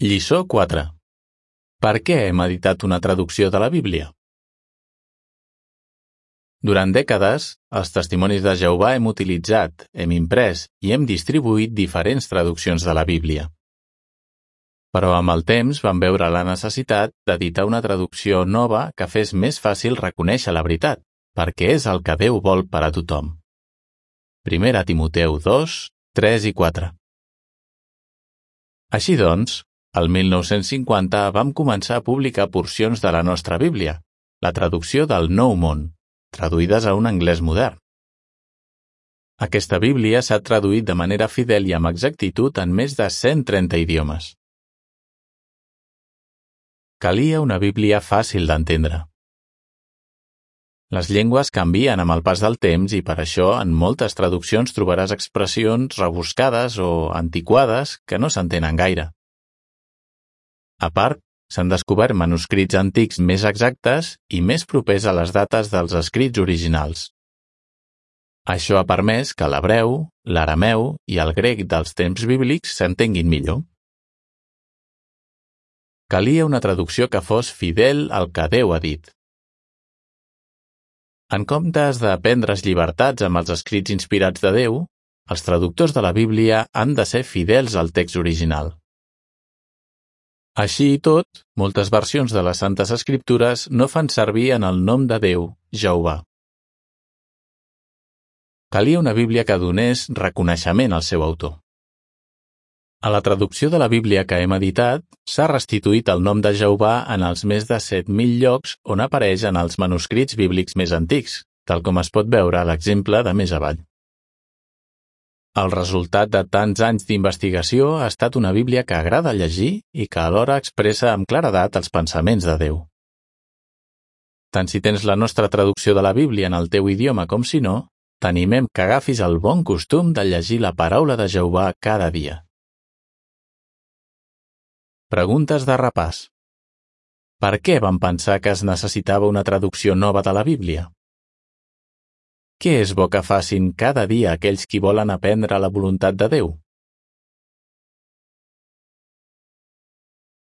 Lliçó 4. Per què hem editat una traducció de la Bíblia? Durant dècades, els Testimonis de Jehovà hem utilitzat, hem imprès i hem distribuït diferents traduccions de la Bíblia. Però amb el temps vam veure la necessitat d'editar una traducció nova que fes més fàcil reconèixer la veritat, perquè és el que Déu vol per a tothom. 1 Timoteu 2, 3 i 4. Així doncs, el 1950 vam començar a publicar porcions de la nostra Bíblia, la traducció del Nou Món, traduïdes a un anglès modern. Aquesta Bíblia s'ha traduït de manera fidel i amb exactitud en més de 130 idiomes. Calia una Bíblia fàcil d'entendre. Les llengües canvien amb el pas del temps i per això en moltes traduccions trobaràs expressions rebuscades o antiquades que no s'entenen gaire. A part, s'han descobert manuscrits antics més exactes i més propers a les dates dels escrits originals. Això ha permès que l'hebreu, l'arameu i el grec dels temps bíblics s'entenguin millor. Calia una traducció que fos fidel al que Déu ha dit. En comptes de prendre's llibertats amb els escrits inspirats de Déu, els traductors de la Bíblia han de ser fidels al text original. Així i tot, moltes versions de les Santes Escriptures no fan servir en el nom de Déu, Jehovà. Calia una Bíblia que donés reconeixement al seu autor. A la traducció de la Bíblia que hem editat, s'ha restituït el nom de Jehovà en els més de 7.000 llocs on apareix en els manuscrits bíblics més antics, tal com es pot veure a l'exemple de més avall. El resultat de tants anys d'investigació ha estat una Bíblia que agrada llegir i que alhora expressa amb claredat els pensaments de Déu. Tant si tens la nostra traducció de la Bíblia en el teu idioma com si no, t'animem que agafis el bon costum de llegir la paraula de Jehovà cada dia. Preguntes de repàs. Per què vam pensar que es necessitava una traducció nova de la Bíblia? Què és bo que facin cada dia aquells qui volen aprendre la voluntat de Déu?